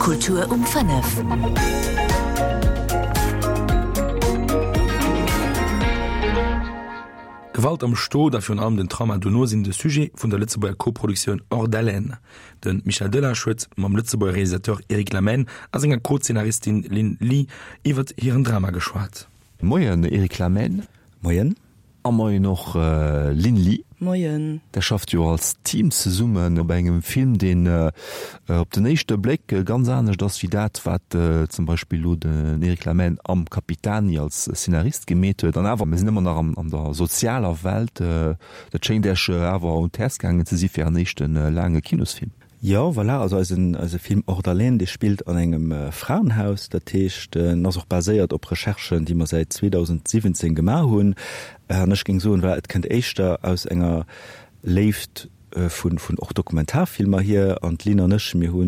Kultur um 5. Gewalt am Stot a virun allem den Trauma dono sinn de Sujet vun der Lëtzebuerger Koproduktioun Hors d'haleine. De Michel Delage huet mam Lëtzebuerger Realisateur Eric Lamhène a senger Co-Zeenaristin Lynn Ly iwwert hiren Drama geschwat. Moien Eric Lamhène. Moien. A moien och Lynn Ly. Moien. Der schafft jo als Team zesummen op engem Film, deen op den éischte Bléck ganz anescht ass wéi dat, wat zum Beispill elo den Eric Lamhène am Capitani als Szenarist gemeet huet. An awer, mir sinn ëmmer nach an der sozialer Welt. Dat schéngt Iech awer un d'Häerz gaangen ze si fir Ären éischte laange Kinosfilm. Jo, voilà, also eisen, eise Film Hors d'haleine, dee spillt an engem Fraenhaus. Dat heescht, en ass och baséiert op Recherchen, déi mer säit 2017 gemaach hunn. An ech géing soen, voilà, et kënnt éischter aus enger Léift vun, vun och Dokumentarfilmer hier. An d'Lynn an ech, mir hu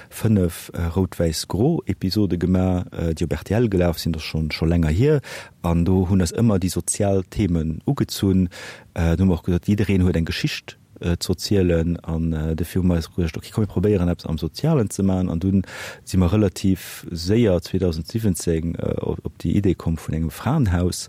5 Rout-Wäiss-Gro-Episode gemaach, déi op rtl gelaf sinn, dat ass schonn, scho länger hier. An do hunn eis ëmmer déi sozial Themen ugezunn. Do hu mer och gesot, jiddereen huet eng Geschicht z'erzielen an dofir hu mer eis geduecht, ok komm mir probéieren eppes am Sozialen ze maachen an dunn si mer relativ séier 2017 op déi Idee komm vun engem Fraenhaus,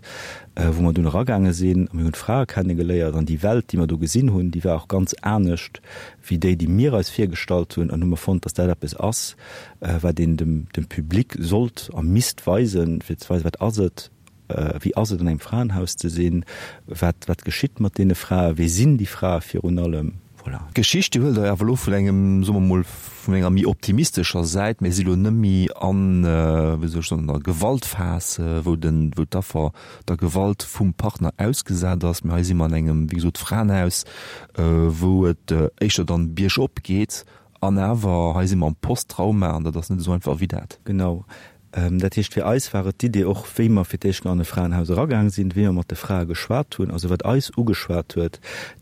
wou mer dunn eragaange sinn a mir hunn d'Frae kennegeléiert an déi Welt, déi mer do gesinn hunn, déi war och ganz anescht wéi déi, déi mir eis virgestallt hunn an hu mer fonnt, dass dat eppes ass, wat een dem Public sollt a misst weisen, fir ze weisen, wat ass et, Wéi ass et an engem Fraenhaus ze sinn? Wat, wat geschitt mat deene Fraen? Wie sinn déi Frae virun allem? Voilà. D'Geschicht, déi huelt Der awer elo vun engem, soe mer mol, vun enger méi optimistescher Säit. Mir si lo net méi an, wéi soll ech soen, an der Gewaltphas, wou den, wou d'Affer der Gewalt vum Partner ausgesat ass, mee hei si mer an engem, wéi gesot, Fraenhaus, wou et éischter dann biergop geet. An awer, hei si mer am Posttrauma an dat ass net esou einfach wéi dat. Genau. Dat heescht, fir eis war et d'Idee och, wéi mer fir d'éischt an e Fraenhaus eragaang sinn, wéi mer mat de Frae geschwat hunn, also wat eis ugeschwat huet,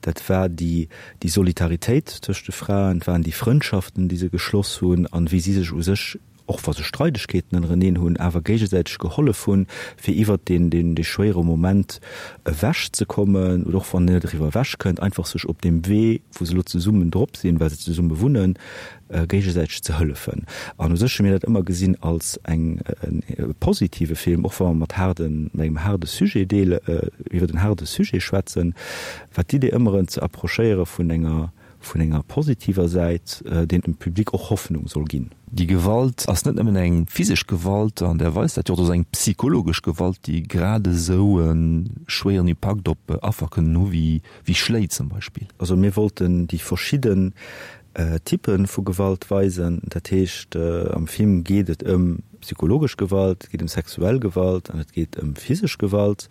dat war déi, déi Solidaritéit tëscht de Fraen, et waren déi Frëndschaften, déi se geschloss hunn an wéi si sech u sech, och wa se Streidegkeeten ënnereneen hunn, awer géigesäiteg gehollef hunn, fir iwwert deen, deen, dee schwéiere Moment ewechzekommen oder och wann een net eriwwer ewechkënnt, einfach sech op deem Wee, wou se elo zesummen drop sinn, well se zesumme wunnen, géigesäiteg ze hëllefen. An u sech hu mir dat ëmmer gesinn als eng e positive Film, och wa mer mat haarden, mat engem haarde Sujet deel, iwwer en haarde Sujet schwätzen, war d'Idee ëmmer en ze approchéiere vun enger, vun enger positiver Säit, deen dem Public och Hoffnung soll ginn. Déi Gewalt ass net nëmmen eng physesch Gewalt an där weist dat jo och, et ass eng psychologesch Gewalt, déi grad esou e schwéieren Impakt op Affer kënnen hu wéi Schléi zum Beispill. Also mir wollten déi verschidden Typpe vu Gewalt weisen. Dat heescht, am Film geet et ëm psychologesch Gewalt, et geet ëm sexuell Gewalt an et geet ëm physesch Gewalt.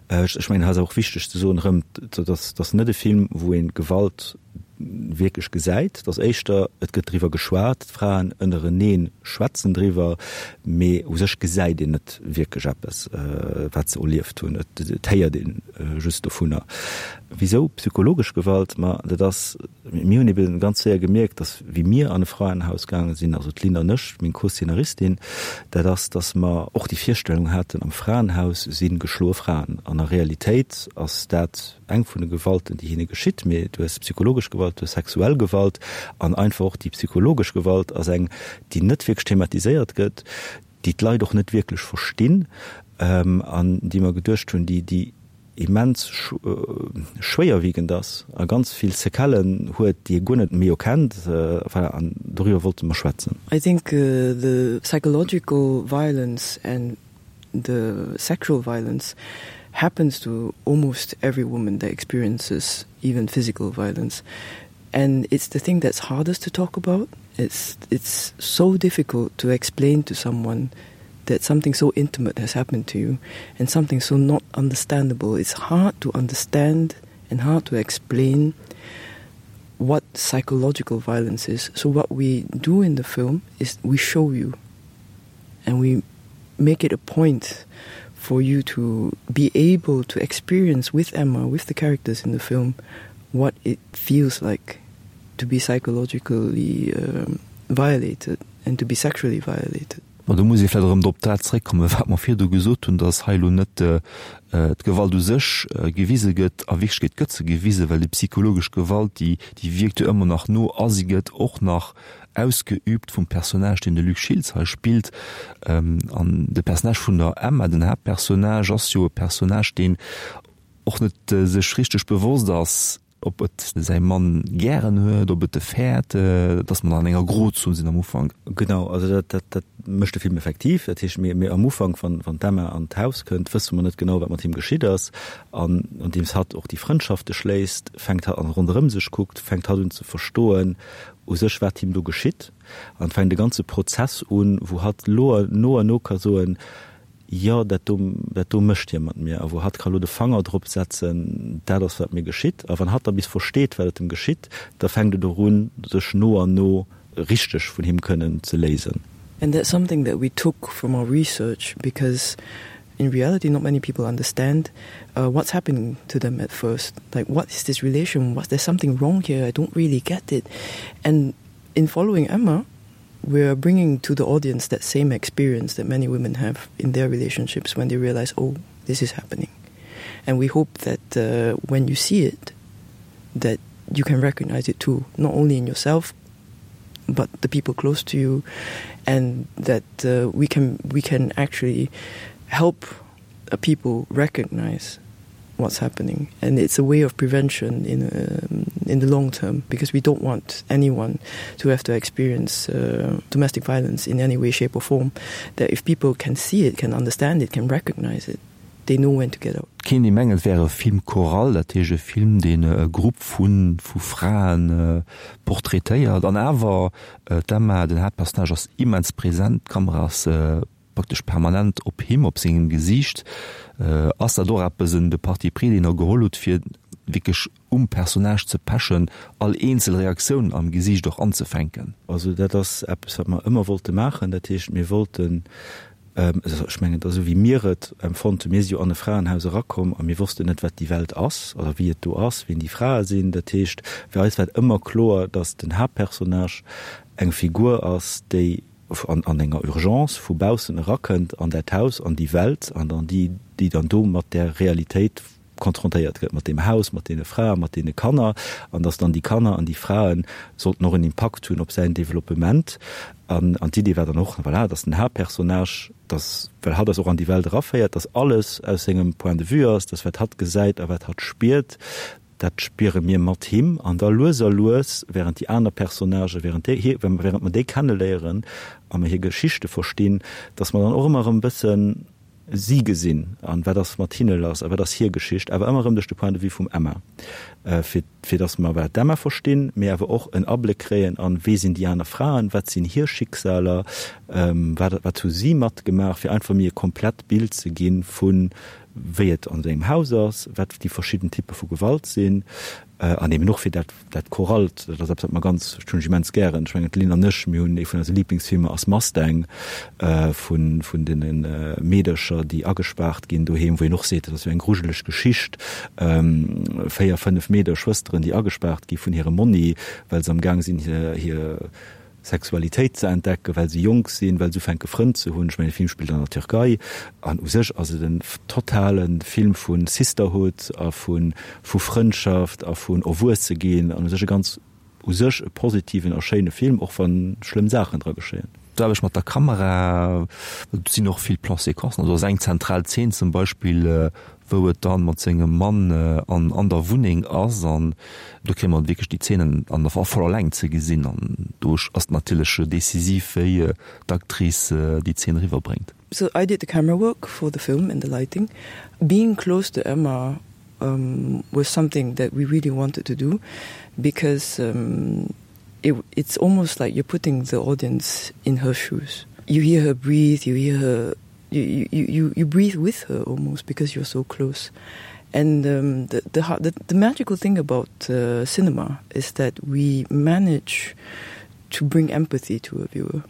Ech mengen, hei ass och wichteg ze soen erëm, dat ass net e Film, wou ee Gewalt wierklech gesäit. Et ass éischter, et gëtt driwwer geschwat, d'Fraen ënnerenee schwätzen driwwer, mee u sech gesäit een net wierklech eppes, wat se erlieft hunn. Et héiert ee just dovunner. Wisou psychologesch Gewalt? Ma dat ass, mir hunn eben ganz séier gemierkt, dass wéi mir an e Fraenhaus gaange sinn, also d'Lynn an ech, meng Co-Szenaristin, dat ass, dass mer och déi Virstellung haten, am Fraenhaus si geschloe Fraen. An a Realitéit ass dat eng vun de Gewalten, déi hinne geschitt. Mee du hues psychologesch Gewalt, du hues sexuell Gewalt an einfach och déi psychologesch Gewalt ass eng, déi net wierklech thematiséiert gëtt, déi d'Leit och net wierklech verstinn an déi mer geduecht hunn, déi, déi immens schwéierwiegend ass a ganz vill Séquellen huet, déi ee guer net méi erkennt. Voilà, an doriwwer wollte mer schwätzen. I think the psychological violence and the sexual violence happens to almost every woman that experiences even physical violence and it's the thing that's hardest to talk about. It's, it's so difficult to explain to someone that something so intimate has happened to you and something so not understandable. It's hard to understand and hard to explain what psychological violence is. So what we do in the film is we show you and we make it a point for you to be able to experience with Emma, with the characters in the film, what it feels like to be psychologically um, violated and to be sexually violated. Bon, do muss ee vläicht erëm op dat zréckkommen, wat mer virdu gesot hunn, dass hei elo net d'Gewalt u sech gewise gëtt. A Wierklechkeet gëtt se gewisen, well déi psychologesch Gewalt, déi, déi wierkt jo ëmmer nach no a si gëtt och nach ausgeübt vum Personnage, deen de Luc Schiltz hei spillt. An de Personnage vun der Emma, den Haaptpersonnage, ass jo e Personnage, deen och net sech richteg bewosst ass, ob et säi Mann gären huet, ob et e fäert, dass mer an enger Grozon sinn am Ufank. Genau, also dat, dat, dat mécht de Film effektiv. Dat heescht, mir, mir am Ufank, wann, wann d'Emma an d'Haus kënnt, wësse mer net genau, wat mat him geschitt ass. An andeems hatt och déi Frëndschafte schléisst, fänkt hatt an ronderëm sech kuckt, fänkt hatt un ze verstoen u sech, wat him do geschitt. An fänkt e ganze Prozess un, wou hatt lo no an no ka soen, Jo, dat do, dat do mécht hie mat mir. A wou hatt ka lo de Fanger drop setzen, dat ass wat mir geschitt. A wann hatt da bis versteet, wat et em geschitt, da fänkt et och un, sech no an no richteg vun him kënnen ze léisen. And that's something that we took from our research because in reality not many people understand uh, what's happening to them at first. Like what is this relation? What, there's something wrong here. I don't really get it. And in following Emma, we are bringing to the audience that same experience that many women have in their relationships when they realize, oh, this is happening. And we hope that uh, when you see it, that you can recognize it too, not only in yourself, but the people close to you, and that uh, we can we can actually help uh, people recognize what's happening and it's a way of prevention in um, in the long term because we don't want anyone to have to experience uh, domestic violence in any way shape or form that if people can see it can understand it can recognize it they know when to get out Kéint ee mengen, et wär e Film choral, dat heescht e Film, deen e Grupp vu vu Frae portraitéiert. An awer, d'Emma, den Haaptpersonnage, ass immens present, d'Kamera ass praktesch permanent op him, op sengem Gesiicht. Ass dat och eppes, en de Parti pris, deen Der geholl hutt, fir wierklech um Personnage ze pechen, all eenzel Reaktioun am Gesiicht och anzefänken? Also dat ass eppes, wat mer ëmmer wollte maachen. Dat heescht, mir wollten, ech mengen, et ass esou wéi mir et empfonnt hunn, mir si jo an e Fraenhaus erakomm a mir wossten net, wat déi Welt ass oder wéi et do ass, wien déi Frae sinn. Dat heescht, fir eis war et ëmmer kloer, datt den Haaptpersonnage eng Figur ass, déi an an enger Urgence vu baussen erakënnt an dat Haus, an déi Welt an an déi, déi dann do mat där Realitéit konfrontéiert gëtt, mat deem Haus, mat deene Frae, mat deene Kanner, an dass dann déi Kanner an déi Frae sollten och en Impakt hunn op säin Développement. An an d'Idee war dann och, voilà, dass den Haaptpersonnage, dass, well hatt eis och an déi Welt eraféiert, dass alles aus sengem Point de vue ass, dass wat hatt gesäit a wat hatt spiert, Dat spiere mir mat him an da lues a lues, während déi aner Personnagen, während déi hir, während mer déi kenneléieren a mer hir Geschichte verstinn, dass mer dann och ëmmer erëm e bëssen si gesinn an wat ass mat hinne lass a wat ass hir Geschicht, awer ëmmer erëm duerch de Point de vue vum Emma, fir, fir dass mer wat d'Emma verstinn, mee awer och en Abléck kréien an wee sinn déi aner Fraen, wat sinn hir Schicksaler, wat, wat hu si matgemaach, fir einfach méi e komplett Bild ze gi vun wéi et an sengem Haus ass, wat déi verschidden Typpe vu Gewalt sinn an eben och fir dat dat Choralt, dat ass eppes wat mer ganz, dat hunn ech immens gären. Ech mengen d'Lynn an ech, mir hunn ee vun eise Liblingsfilmer ass Mustang vun vun deene Meedercher, déi agespaart ginn doheem, wou een och seet, dat ass jo eng grujeleg Geschicht, 4, 5 Meeder, Schwësteren, déi agespaart gi vun hirem Monni, well se am Gaang sinn hir hir Sexualitéit ze entdecken, well se jonk sinn, well se ufänke Frënn ze hunn. Ech mengen, de Film spillt an der Türkei an u sech ass et en totale Film vu Sisterhood a vu vu Frëndschaft a vun Erwuesse ginn an u sech e ganz u sech e positiven a schéine Film, och wa schlëmm Saachen dra geschéien. D'Aarbecht mat der Kamera, do sinn och vill Plans-séquencen, also ass eng zentral Zeen zum Beispill, wou et dann mat sengem Mann an an der Wunneng ass an do kréie mer wierklech déi Zeenen an der voller Längt ze gesinn an do ass et natierlech decisiv wéi d'Actrice déi Zeen eriwwer bréngt. So I did the camera work for the film and the lighting. Being close to Emma um, was something that we really wanted to do because um, it, it's almost like you're putting the audience in her shoes. You hear her breathe, you hear her you, you, you, you breathe with her almost because you're so close. And um, the, the, the, the magical thing about uh, cinema is that we manage to bring empathy to a viewer.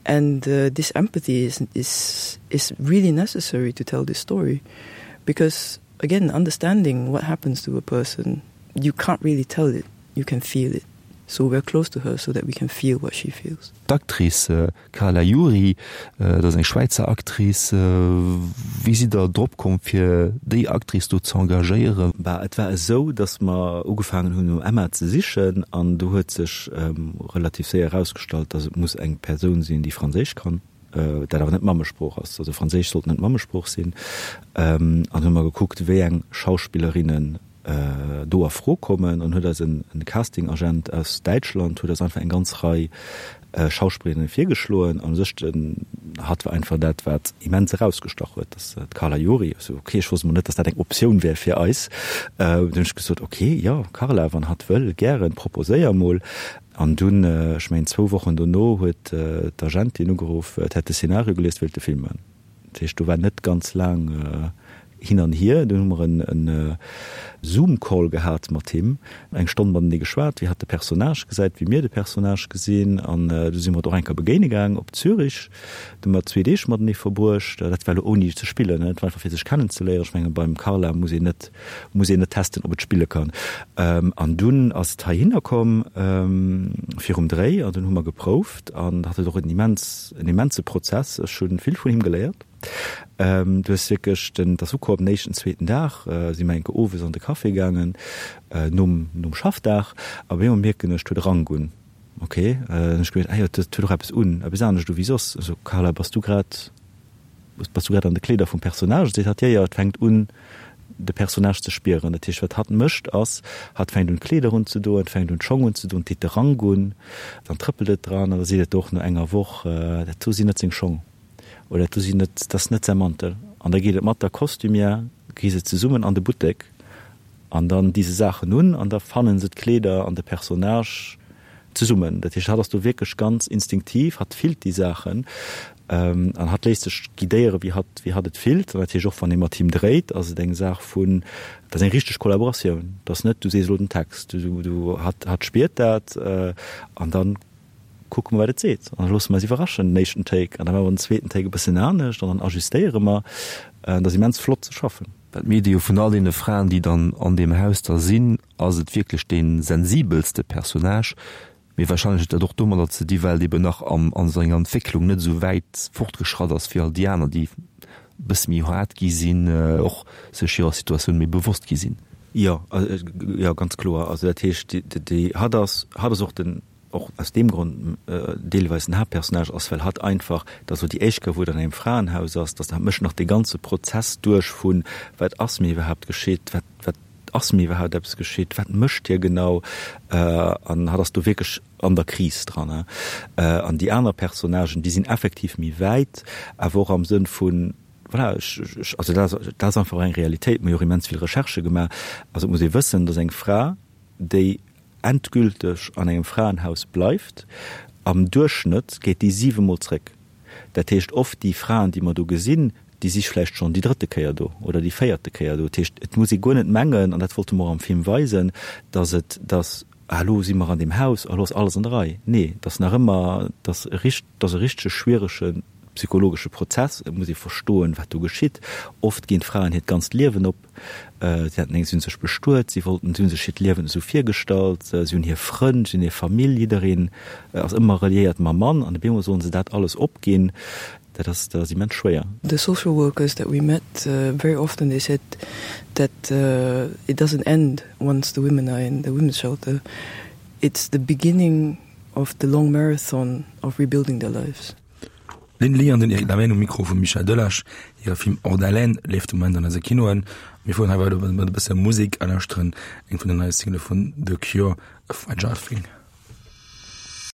And uh, this empathy is, is, is really necessary to tell this story because, again, understanding what happens to a person, you can't really tell it, you can feel it. So we're close to her so that we can feel what she feels. D'Actrice Carla Juri, dat ass eng Schwäizer Actrice. Wéi sidd der drop komm fir déi Actrice do ze engagéieren? Bah, et war esou, datt mer ugefaangen hunn no Emma ze sichen an do huet sech relativ séier erausgestallt, datt et muss eng Persoun sinn, déi Franséisch kann, dat awer net d'Mammesprooch ass. Also Franséisch sollt net d'Mammesprooch sinn. An hu mer gekuckt, wéi eng Schauspillerinnen do a Fro kommen an huet eis en Casting-Agent aus Däitschland huet eis einfach eng ganz Rei Schauspillerinnen virgeschloen an u sech den hatt war einfach dat wat immens erausgestach huet, dass d'Carla Juri. Ech sou ok, ech wosst mol net, dass dat eng Optioun wär fir eis. Dunn hunn ech gesot ok, jo Carla, wann hatt wëll, gären, proposéier mol. An dunn, ech mengen zwou Wochen dono huet d'Agentin ugeruff, et hätt de Szenario gelies, wéilt de Film man. Dat heescht, do war net ganz laang hin an hier. Dunn hu mer en Zoom-Call gehat mat him, eng Stonn matenee geschwat, wéi hatt de Personnage gesäit, wéi mir de Personnage gesinn. An du si mer et och eng Kéier begéine gaang op Zürich. Do hu mer zwee Deeg matenee verbruecht. Dat war elo ouni ze spillen, dat war einfach fir sech kennenzeléieren. Ech menge beim Carla muss een net, muss een net testen, ob et spille kann. An dunn ass et heihinner komm virum Dréi an dunn hu mer geprouft an hatt huet och en immens, en immense Prozess. Ech hu vill vun him geléiert. Du hues wierklech den, et ass ukomm den éischten, zweeten Dag si mer eng Kéier owes an de Café gaangen nom, nom Schaffdag a op eemol mierken ech, et huet e Rank un. Ok, dann hunn ech gemengt, ah jo, et huet och eppes un, eppes anescht u wéi soss. Ech sou, Carla, bass du grad, Bass du grad an de Kleeder vum Personnage? Seet hatt, Jo, jo, et fänkt un, de Personnage ze spieren. Dat heescht, wat hatt mécht, ass, hatt fänkt un, d'Kleeder unzedoen, et fänkt un, d'Schong unzedoen, et deet de Rank un, dann trëppelt et dran an da seet et och no enger Woch, Dat do sinn net seng Schong oder dat do sinn net, dat ass net säi Mantel. An da geet et mat der Costumière, gi se zesummen an de Buttek An dann di se Saachen un an da fannen se d'Kleeder an de Personnage zesummen. Dat heescht, hatt ass do wierklech ganz instinktiv, hatt fillt déi Saachen an hatt léisst sech guidéieren, wéi hatt, wéi hatt et fillt. An dat heescht, och wann ee mat him dréit, ass et eng Saach vun, dat ass eng richteg Kollaboratioun. Dat ass net, du sees elo den Text, du, du, hatt, hatt spiert dat an dann kucke mer, wat et seet an da loosse mer eis iwwerraschen, den éischten Take an da maache mer den zweeten Take e bëssen anescht an dann ajustéiere mer. Dat ass immens flott ze schaffen. Well d'Medi jo vun all deene Fraen, déi dann an deem Haus da sinn, ass et wierklech dee sensibelste Personnage. Mee wahrscheinlech huet dat och domadder ze di well et eben nach am a senger Entwécklung net esou wäit fortgeschratt ass wéi all déi aner, déi e bësse méi haart gi sinn, och sech hirer Situatioun méi bewosst gi sinn. Jo, jo, ganz kloer. Also dat heescht, déi hatt ass, hatt ass och den och aus deem Grond deelweis den Haaptpersonnage ass, well hatt einfach, dat ass elo déi éischt Kéier, wou et an engem Fraenhaus ass, dass hatt mécht nach dee ganze Prozess duerch vun, wat ass mir iwwerhaapt geschitt, wat, wat ass mir iwwerhaapt eppes geschitt, wat mécht hie genau, an hatt ass do wierklech an der Kris dran. An déi aner Personnagen, déi sinn effektiv méi wäit, awer och am Sënn vun, voilà, ech, ech, also dat ass, dat ass einfach och eng Realitéit, mir hu jo och immens vill Recherchë gemaach, also et muss ee wëssen, dass eng Fra, déi endgülteg an engem Fraenhaus bleift, am Duerchschnëtt geet déi siwemol zréck. Dat heescht, oft déi Fraen, déi mer do gesinn, déi si vläicht schonn déi drëtte Kéier do oder déi véierte Kéier do. Dat heescht, et muss ee guer net mengen, an dat wollte mer och am Film weisen, datt et, datt, ah elo si mer an deem Haus, elo ass alles an der Rei. Nee, et ass nach ëmmer, et ass e richt, et ass e richtege schwierege psychologesche Prozess. Et muss ee verstoen, wat do geschitt. Oft ginn d'Fraen hiert ganzt Liewen op. Si haten eng, si hunn sech bestuet, si wollten, si hunn sech hiert Liewen esou virgestallt, si hunn hir Frënn, si hunn hir Famill, jiddereen ass ëmmer reliéiert mam Mann an op eemol sollen se dat alles opginn, dat ass, dat ass immens schwéier. The social workers that we met very often they said that it doesn't end once the women are in the women's shelter, it's the beginning of the long marathon of rebuilding their lives. D'Lynn Lee an den Eric Lamhène um Mikro vum Michel Delage. Hire Film Hors d'haleine leeft de Moment an eise Kinoen. Mir fueren hei weider mat e bësse Musek a lauschteren eng vun den neie Single vun The Cure, A Fragile Thing.